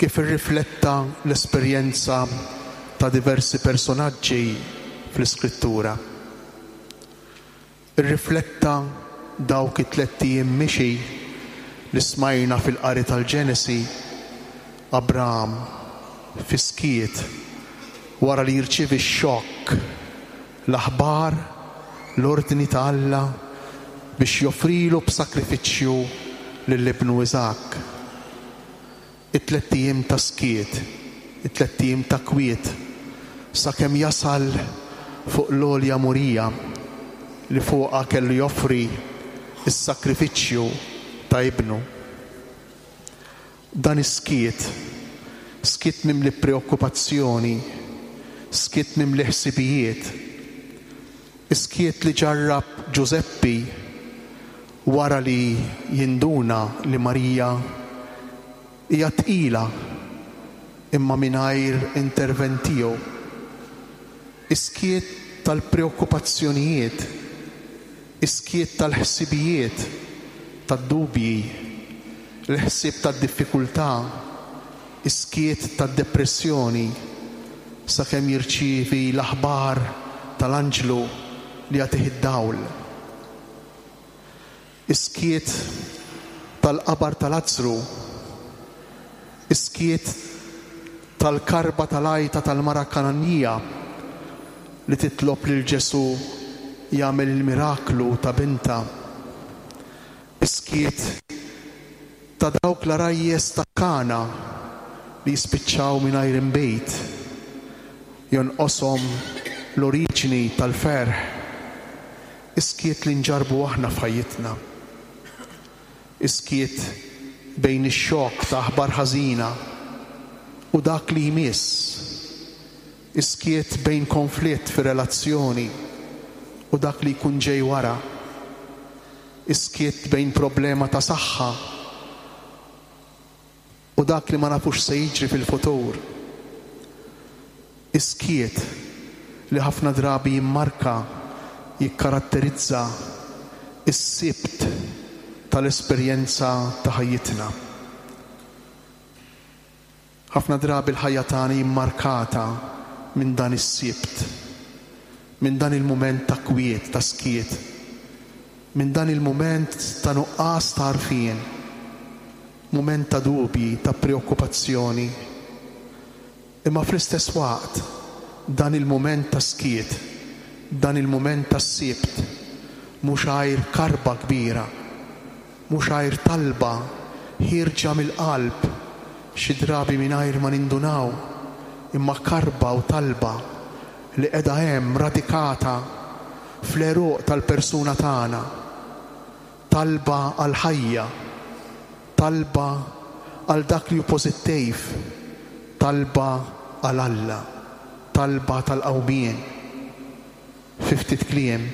Kif irrifletta l-esperjenza ta' diversi personaġġi fl-Iskrittura. Irrifletta dawk it-tlett ijiem mixi li smajna fil-qari tal-Ġenesi, Abraham fi skiet wara li jirċievi x-xokk, l-aħbar, l-ordni ta' Alla biex joffrilu b'sakrifiċċju lil ibnu Iżakk. It-tlett ijiem ta' skiet, it-tlett ijiem ta' kwiet, sakemm jasal fuq l-għolja Morija li fuqha kellu joffri s-sakrifiċċju ta' ibnu. Dan is-skiet, skiet mimli preokkupazzjoni, skiet mimli ħsibijiet, skiet li ġarrab Ġużeppi wara li jinduna li Marija hija tqila imma mingħajr intervent tiegħu. Iskiet tal-preokkupazzjonijiet, iskiet tal-ħsibijiet, tad-dubji, l-ħsieb tad-diffikultà, iskiet tad-depressjoni, sakemm jirċievi l-aħbar tal-anġlu li jagħtih id-dawl. Iskiet tal-qabar tal-Azzru, iskiet tal-karba tal-għajta tal-mara Kananija li titlob lil Ġesù jagħmel il-miraklu ta' binta. Iskiet ta' dawk l-arajjes ta' Kana li jispiċċaw mingħajr inbejt, jonqoshom l-oriġini tal-ferħ. Iskiet li nġarbu aħna f'ħajjitna. Iskiet bejn ix-xokk ta' aħbar ħażina u dak li jmiss. Iskiet bejn konflitt fir-relazzjoni u dak li jkun ġej wara. Iskiet bejn problema ta' saħħa u dak li ma nafux se jiġri fil-futur. Iskiet li ħafna drabi jimmarka, jikkaratterizza is-Sibt tal-esperjenza ta' ħajjitna. Ħafna drabi l-ħajja tagħna jimmarkata minn dan is-Sibt, minn dan il-mument ta' kwiet, ta' skiet, minn dan il-mument ta' nuqqas ta' għarfien, mument ta' dubji, ta' preokkupazzjoni. Imma fl-istess waqt dan il-mument ta' skiet, dan il-mument ta' Sibt, mhux għajr karba kbira, mhux għajr talba ħierġa mill-qalb, xi drabi mingħajr ma nindunaw, imma karba u talba li qiegħda hemm radikata fl-għeruq tal-persuna tagħna. Talba għall-ħajja, talba għal dak li hu pożittiv, talba għal Alla, talba tal-qawmien. Fi ftit kliem,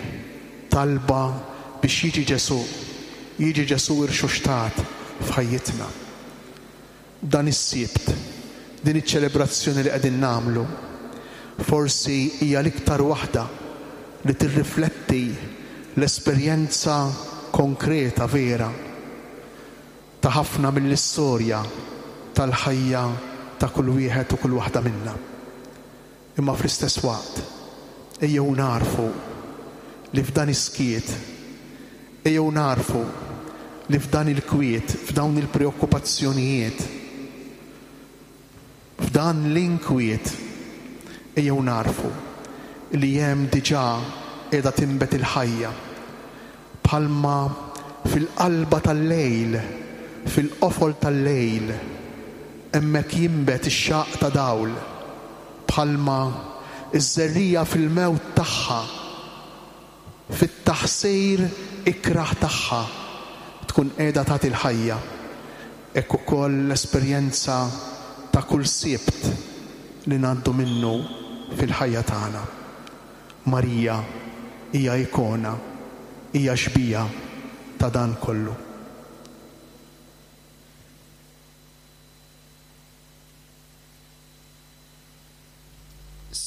It-talba biex jiġi Ġesù, jiġi Ġesù irxoxtat f'ħajjitna. Dan is-Sibt, din iċ-ċelebrazzjoni li qegħdin nagħmlu, forsi hija l-iktar waħda li tirrifletti l-esperjenza konkreta vera ta' ħafna mill-istorja tal-ħajja ta' kull wieħed u kull waħda minna. Imma fl-istess waqt, ejjew narfu li f'dan is-skiet, ejjew narfu li f'dan il-kwiet, f'dawn il-preokkupazzjonijiet, f'dan l-inkwiet, ejjew narfu li hemm diġà qiegħda tinbet il-ħajja. Bħalma fil-qalba tal-lejl, fil-qofol tal-lejl, hemmhekk jinbet ix-xaqq ta' dawl. Bħalma iż-żerrija fil-mewt tagħha, fit-taħsir ikraħ tagħha, tkun qiegħda tagħti l-ħajja. Hekk ukoll l-esperjenza ta' kull Sibt li ngħaddu minnu fil-ħajja tagħna. Marija hija ikona, hija xbija ta' dan kollu.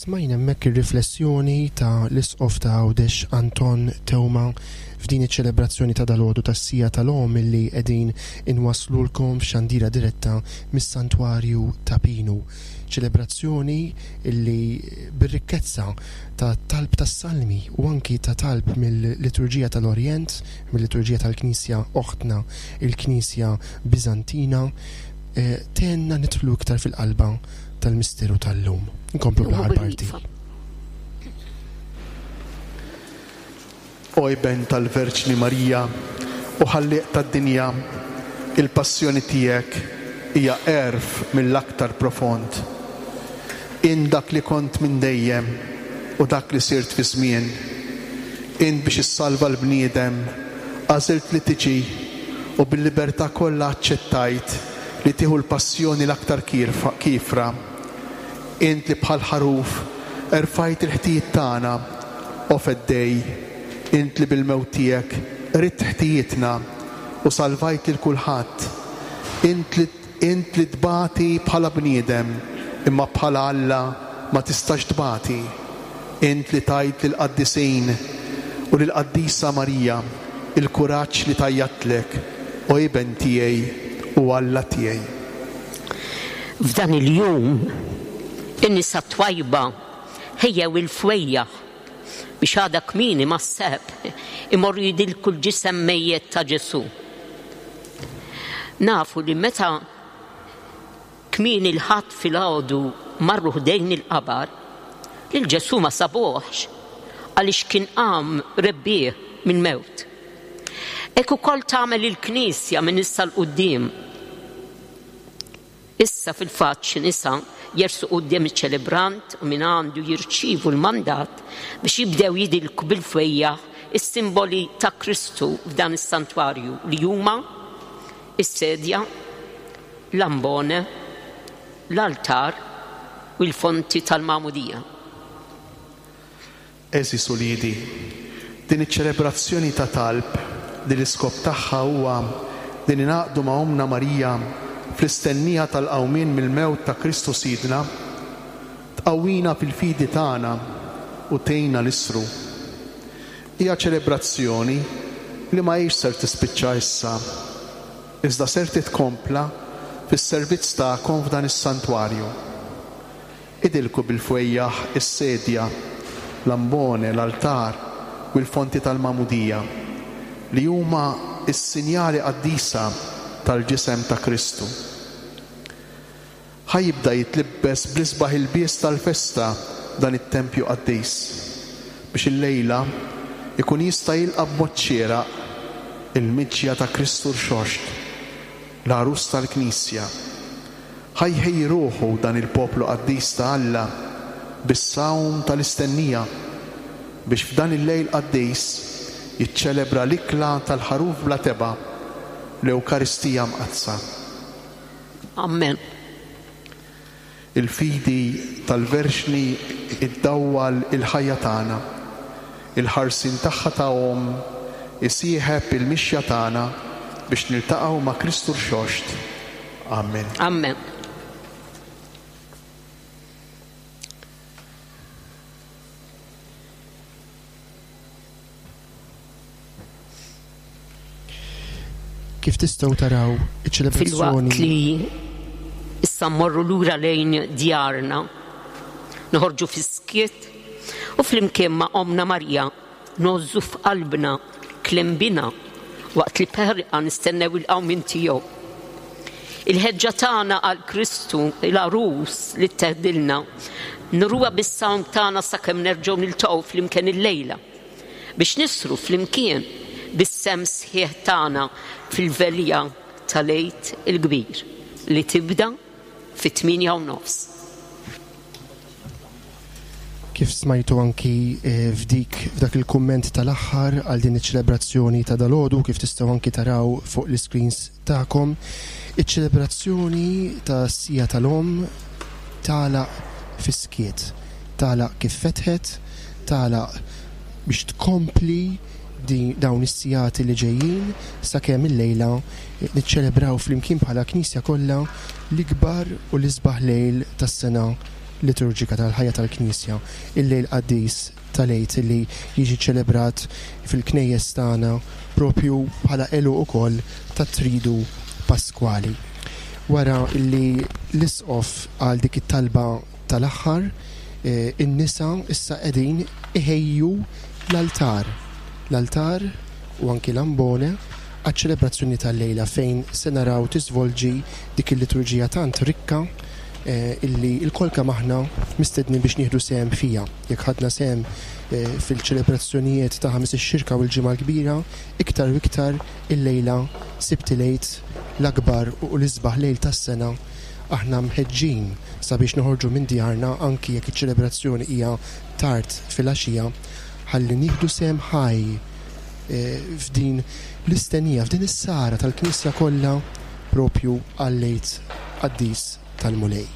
Smajna hemmhekk ir-riflessjoni ta' l-Isqof ta' Għawdex Anton Teuma f'din iċ-ċelebrazzjoni ta' dalgħodu tas-sija tal-Omm illi qegħdin inwaslulkom f'xandira diretta mis-Santwarju ta' Pinu. Ċelebrazzjoni illi bir-rikkezza ta' talb tas-salmi u anki ta' talb mill-liturġija tal-Orjent, mill-liturġija tal-Knisja oħtna, il-Knisja Biżantina, eh, tenna nidħlu iktar fil-qalba tal-misteru tal-lum. Nkomplu bl-aħħar parti. O Iben tal-Verġni Marija u ħallieq tad-dinja, il-passjoni tiegħek hija għerf mill-aktar profond. In dak li kont minn dejjem u dak li sirt fi żmien. In biex issalva l-bniedem għażilt li tiġi u bil-libertà kollha aċċettajt li tieħu l-passjoni l-aktar kiefra. Int li bħal ħaruf erfajt il-ħtijiet tagħna, o feddej, int li bil-mewt tiegħek ridt ħtijietna u salvajt lil kulħadd. Int li int li tbati bħala bniedem, imma bħala Alla ma tistax tbati. Int li tajt lill-qaddisin u lill-qaddisa Marija il-kuraġġ li tajjatlek, o Iben tiegħi u Alla tiegħi. F'dan il-jum in-nisa twajba ħejjew il-fwejjaħ biex għada kmieni mas-seb imorru jidilku l-ġisem mejjet ta' Ġesù. Nafu li meta kmieni l-Ħadd filgħodu marru ħdejn il-qabar, lil Ġesù ma sabuhx għaliex kien qam rebbieħ mill-mewt. Hekk ukoll tagħmel il-Knisja minn issa 'l quddiem. Issa fil-fatt xi nisa jersu quddiem iċ-ċelebrant u minn għandu jirċievu l-mandat biex jibdew jidilku bil-fwejjaħ is-simboli ta' Kristu f'dan is-santwarju li huma is-sedja, l-ambone, l-altar u l-fonti tal-Magħmudija. Għeżież uliedi, din iċ-ċelebrazzjoni ta' talb li l-iskop tagħha huwa li ningħaqdu ma' Ommna Marija fl-istennija tal-qawmien mill-mewt ta' Kristu Sidna, tqawwina fil-fidi tagħna u tgħinna l-isru. Hija ċelebrazzjoni li ma hijiex ser tispiċċa issa, iżda ser titkompla fis-servizz tagħkom f'dan is-santwarju. Idilku bil-fwejjaħ is-sedja, l-ambone, l-altar u l-fonti tal-Magħmudija, li huma s-sinjali qaddisa tal-ġisem ta' Kristu. Ħa jibda jitlibbes bl-isbaħ ilbies tal-festa dan it-tempju qaddis, biex illejla ikun jista' jilqa' b'mod xieraq il-miġja ta' Kristu rxoxt, l-għarus tal-Knisja. Ħa jħejji ruħu dan il-poplu qaddis ta' Alla bis-sawm tal-istennija biex f'dan il-lejl qaddis jiċċelebra l-ikla tal-ħaruf bla teba', l-Ewkaristija Mqaddsa. Amen. Il-fidi tal-Verġni iddawwal il-ħajja tagħna. Il-ħarsien tagħha ta' omm isieħeb il-mixja tagħna biex niltaqgħu ma' Kristu Rxoxt. Amen. Amen. Kif tistgħu taraw iċ-ċelebrazzjoni Filwaqt li issa mmorru lura lejn djarna, noħorġu fis-skiet u flimkien ma' Omna Marija ngħożżu f'qalbna kliem bina waqt li b'ħerqa nistennew il-qawmien tiegħu. Il-ħeġġa tagħna għal Kristu, il-għarus li tteħdilna, nruha bis-sawm tagħna sakemm nerġgħu niltaqgħu flimkien illejla biex nisru flimkien bis-sem sħiħ tagħna fil-velja tal-Għid il-Kbir li tibda fit-tmienja u nofs. Kif smajtu anki eh, f'dik f'dak il-kumment tal-aħħar għal din iċ-ċelebrazzjoni ta' dalgħodu, kif tistgħu anki taraw fuq l-iscreens tagħkom, iċ-ċelebrazzjoni ta' Sija tal-Omm tagħlaq fis-skiet, tagħlaq kif fetħet, tagħlaq biex tkompli din dawn is-sigħat li ġejjin sakemm illejla niċċelebraw flimkien bħala Knisja kollha l-ikbar u l-isbaħ lejl tas-sena liturġika tal-ħajja tal-Knisja, il-lejl qaddis tal-Għid li jiġi ċelebrat fil-knejjes tagħna propju bħala għeluq ukoll tat-tridu paskwali. Wara li l-isqof għal dik it-talba tal-aħħar, eh, in-nisa issa qegħdin iħejju l-altar. L-altar u anki l-ambone għaċ-ċelebrazzjoni tal-lejla fejn se naraw tiżvolġi dik il-liturġija tant rikka, eh, illi l-kol kemm aħna mistednin biex nieħdu sehem fija. Jekk ħadna sehem, eh, fil-ċelebrazzjonijiet ta' Ħamis ix-Xirka u l-Ġimgħa l-Kbira, iktar u iktar illejla Sibt il-Għid, l-akbar u l-isbaħ lejl tas-sena, aħna mħeġġin sabiex noħorġu minn djarna anki jekk iċ-ċelebrazzjoni hija tard filgħaxija, ħalli nieħdu sehem ħaj, eh, f'din l-istennija, f'din is-sara tal-Knisja kollha propju għal-Għid qaddis tal-Mulej.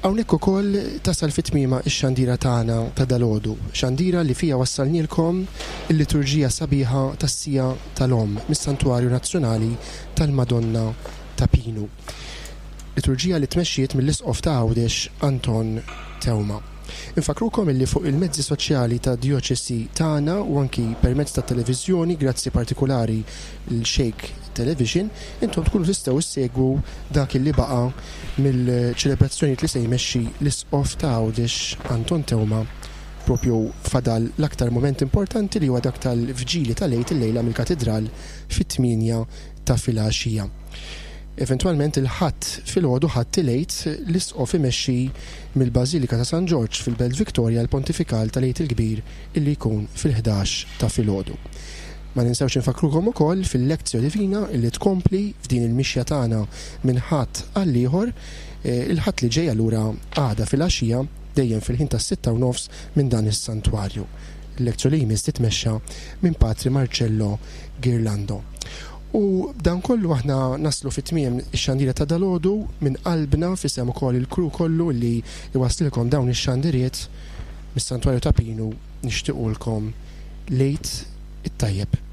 Hawnhekk ukoll tasal fit-tmiema x-xandira tagħna ta' dalgħodu, xandira li fija wassalnielkom il-liturġija sabiħa tas-Sija tal-Omm mis-Santwarju Nazzjonali tal-Madonna ta' Pinu. Liturġija li tmexxiet mill-Isqof ta' Għawdex Anton Teuma. Infakrukom illi fuq il-mezzi soċjali ta' djoċesi tagħna u anki permezz ta' televiżjoni, grazzi partikolari l-Shake Television, intom tkunu tistgħu issegwu dak illi baqa' mill-ċelebrazzjonijiet li se jmexxi l-Isqof ta' Għawdex Anton Teuma propju fadal l-aktar moment importanti li huwa dak tal-vġili tal-Għid illejla mill-Katidral fit-tmienja ta' filgħaxija. Eventwalment il-Ħadd filgħodu, Ħadd il-Għid, l-Isqof imexxi mill-Bażilika ta' San Ġorġ fil-Belt Victoria l-Pontifikal tal-Għid il-Kbir illi jkun fil-ħdax ta' filgħodu. Ma ninsewx infakrukom ukoll fil-Lectio Divina illi tkompli f'din il-mixja tagħna minn Ħadd għal ieħor, eh, il-Ħadd li ġej allura għada filgħaxija dejjem fil-ħin tas-sitta u nofs minn dan is-santwarju. Il-Lectio li jmiss titmexxa minn Patri Marcello Girlando. U dan kollu aħna naslu fit-tmiem ix-xandira ta' dalgħodu minn qalbna fisem ukoll il-kru kollu li jwasslilkom dawn ix-xandiriet mis-Santwarju ta' Pinu, nixtiequlkom l-Għid it-tajjeb.